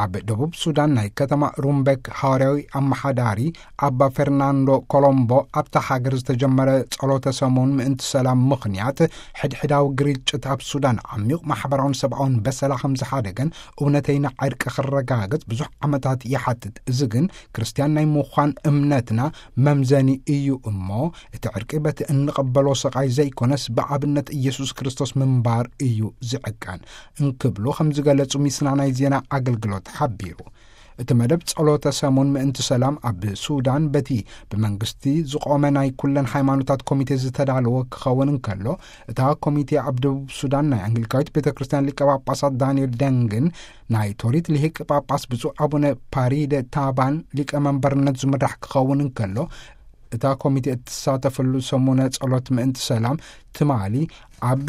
ኣብ ደቡብ ሱዳን ናይ ከተማ ሩምበክ ሃዋርያዊ ኣመሓዳሪ ኣባ ፈርናንዶ ኮሎምቦ፣ ኣብታ ሃገር ዝተጀመረ ጸሎተ ሰሙን ምእንቲ ሰላም ምኽንያት፣ ሕድሕዳዊ ግርጭት ኣብ ሱዳን ዓሚቕ ማሕበራውን ሰብኣውን በሰላ ከም ዝሓደገን፣ እውነተይና ዕርቂ ክረጋገጽ ብዙሕ ዓመታት ይሓትት። እዚ ግን ክርስትያን ናይ ምዃን እምነትና መምዘኒ እዩ እሞ፣ እቲ ዕርቂ በቲ እንቕበሎ ስቓይ ዘይኮነስ፣ ብኣብነት ኢየሱስ ክርስቶስ ምንባር እዩ ዝዕቀን፣ እንክብሉ ከም ዝገለጹ ሚስና ናይ ዜና ኣገልግሎት ሓቢሩ። እቲ መደብ ጸሎተ ሰሙን ምእንቲ ሰላም ኣብ ሱዳን፣ በቲ ብመንግስቲ ዝቖመ ናይ ኩለን ሃይማኖታት ኮሚቴ ዝተዳለወ ክኸውን እንከሎ፣ እታ ኮሚቴ ኣብ ደቡብ ሱዳን ናይ ኣንግሊካዊት ቤተ ክርስቲያን ሊቀ ጳጳሳት ዳንኤል ደንግን ናይ ቶሪት ሊሂቅ ጳጳስ ብፁዕ ኣቡነ ፓሪደ ታባን ሊቀ መንበርነት ዝምራሕ ክኸውን እንከሎ፣ እታ ኮሚቴ እትሳተፈሉ ሰሙነ ጸሎት ምእንቲ ሰላም ትማሊ ኣብ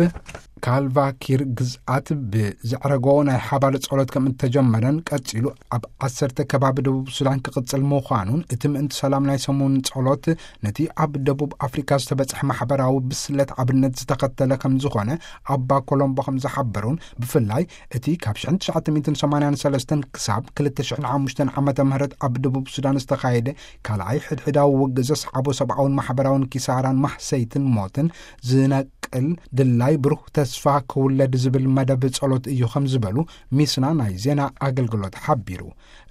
ካልቫኪር ግዝኣት ብዘዕረጎ ናይ ሓባር ጸሎት ከም እተጀመረን፣ ቀጺሉ ኣብ ዓሰርተ ከባቢ ደቡብ ሱዳን ክቕጽል ምዃኑን፣ እቲ ምእንቲ ሰላም ናይ ሰሙን ጸሎት ነቲ ኣብ ደቡብ ኣፍሪካ ዝተበጽሐ ማሕበራዊ ብስለት ኣብነት ዝተኸተለ ከም ዝኾነ ኣባ ኮሎምቦ ከም ዝሓበሩን፣ ብፍላይ እቲ ካብ ሽሕን ትሽዓተ ሚእትን ሰማንያን ሰለስተን ክሳብ ክልተ ሽሕን ሓሙሽተን ዓመተ ምህረት ኣብ ደቡብ ሱዳን ዝተኻየደ ካልኣይ ሕድሕዳዊ ውግእ ዘስዓቦ ሰብኣውን ማሕበራውን ኪሳራን ማህሰይትን ሞትን ዝነቅል ድላይ ብሩህ ተስፋ ክውለድ ዝብል መደብ ጸሎት እዩ ከም ዝበሉ ሚስና ናይ ዜና ኣገልግሎት ሓቢሩ።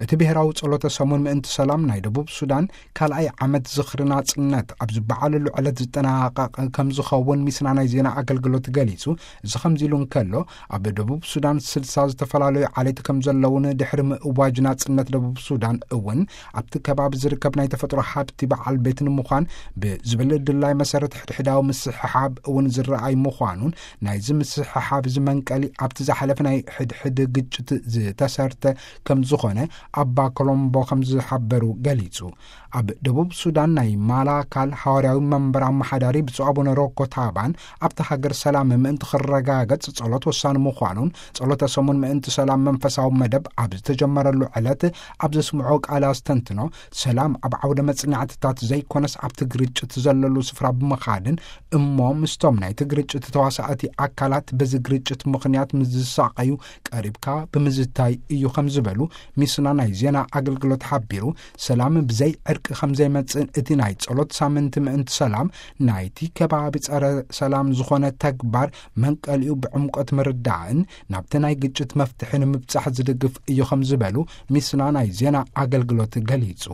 እቲ ብሔራዊ ጸሎተ ሰሙን ምእንቲ ሰላም ናይ ደቡብ ሱዳን ካልኣይ ዓመት ዝኽሪ ናጽነት ኣብ ዝበዓለሉ ዕለት ዝጠናቐቕ ከም ዝኸውን ሚስና ናይ ዜና ኣገልግሎት ገሊጹ። እዚ ከምዚ ኢሉ እንከሎ፣ ኣብ ደቡብ ሱዳን ስልሳ ዝተፈላለዩ ዓሌት ከም ዘለውን፣ ድሕሪ ምእዋጅ ናጽነት ደቡብ ሱዳን እውን ኣብቲ ከባቢ ዝርከብ ናይ ተፈጥሮ ሃብቲ በዓል ቤት ንምዃን ብዝብል ድላይ መሰረት ሕድሕዳዊ ምስሕሓብ እውን ዝረኣይ ምዃኑን፣ ናይዚ ምስሕሓብ እዚ መንቀሊ ኣብቲ ዝሓለፈ ናይ ሕድሕድ ግጭት ዝተሰርተ ከም ዝኾነ ኣባ ኮሎምቦ ከም ዝሓበሩ ገሊጹ። ኣብ ደቡብ ሱዳን ናይ ማላካል ሃዋርያዊ መንበር ኣመሓዳሪ ብፁዕ ኣቡነ ሮኮ ታባን፣ ኣብቲ ሃገር ሰላም ምእንቲ ክረጋገጽ ጸሎት ወሳኒ ምዃኑን፣ ጸሎተ ሰሙን ምእንቲ ሰላም መንፈሳዊ መደብ ኣብ ዝተጀመረሉ ዕለት ኣብ ዘስምዖ ቃል ኣስተንትኖ፣ ሰላም ኣብ ዓውደ መጽናዕትታት ዘይኮነስ ኣብቲ ግርጭት ዘለሉ ስፍራ ብምኻድን፣ እሞ ምስቶም ናይቲ ግርጭት ተዋሳእቲ ኣካላት በዚ ግርጭት ምኽንያት ምስ ዝሳቐዩ ቀሪብካ ብምዝታይ እዩ ከም ዝበሉ ሚስና ናይ ዜና ኣገልግሎት ሓቢሩ። ሰላም ብዘይ ዕርቂ ከም ዘይመጽእን፣ እቲ ናይ ጸሎት ሳምንቲ ምእንቲ ሰላም ናይቲ ከባቢ ጸረ ሰላም ዝኾነ ተግባር መንቀሊኡ ብዕምቆት ምርዳእን ናብቲ ናይ ግጭት መፍትሒ ንምብጻሕ ዝድግፍ እዩ ከም ዝበሉ ሚስና ናይ ዜና ኣገልግሎት ገሊጹ።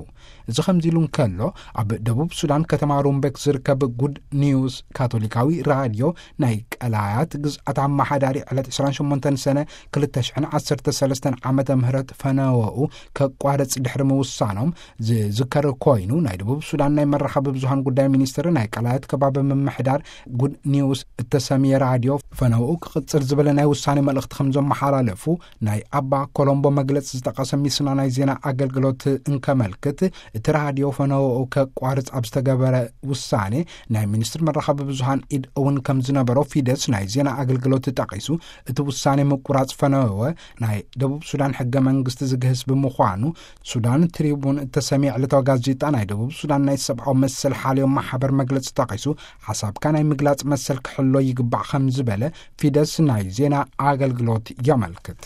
እዚ ከምዚ ኢሉ እንከሎ፣ ኣብ ደቡብ ሱዳን ከተማ ሩምቤክ ዝርከብ ጉድ ኒውስ ካቶሊካዊ ራድዮ ናይ ቀላያት ግዝኣት ኣመሓዳሪ ዕለት ዕስራን ሸሞንተን ሰነ ክልተ ሽሕን ዓሰርተ ሰለስተን ዓመተ ምህረት ፈነወኡ ከቋርጽ ድሕሪ ምውሳኖም ዝዝከር ኮይኑ፣ ናይ ደቡብ ሱዳን ናይ መራኸቢ ብዙሃን ጉዳይ ሚኒስትሪ ናይ ቀላያት ከባቢ ምምሕዳር ጉድ ኒውስ እተሰምየ ራድዮ ፈነወኡ ክቕጽል ዝበለ ናይ ውሳኔ መልእኽቲ ከም ዘመሓላለፉ ናይ ኣባ ኮሎምቦ መግለጺ ዝጠቐሰ ሚስና ናይ ዜና ኣገልግሎት እንከመልክት፣ እቲ ራድዮ ፈነወኡ ከቋርጽ ኣብ ዝተገበረ ውሳኔ ናይ ሚኒስትሪ መራኸቢ ብዙሃን ኢድ እውን ከም ዝነበሮ ፊደስ ናይ ዜና ኣገልግሎት ጠቒሱ፣ እቲ ውሳኔ ምቁራጽ ፈነወ ናይ ደቡብ ሱዳን ሕገ መንግስቲ ዝግህስ ብምዃኑ፣ ሱዳን ትሪቡን እተሰምየ ዕለታዊ ጋዜጣ ናይ ደቡብ ሱዳን ናይ ሰብኣዊ መሰል ሓልዮ ማሕበር መግለጺ ጠቒሱ፣ ሓሳብካ ናይ ምግላጽ መሰል ክሕሎ ይግባእ ከም ዝበለ ፊደስ ናይ ዜና ኣገልግሎት የመልክት።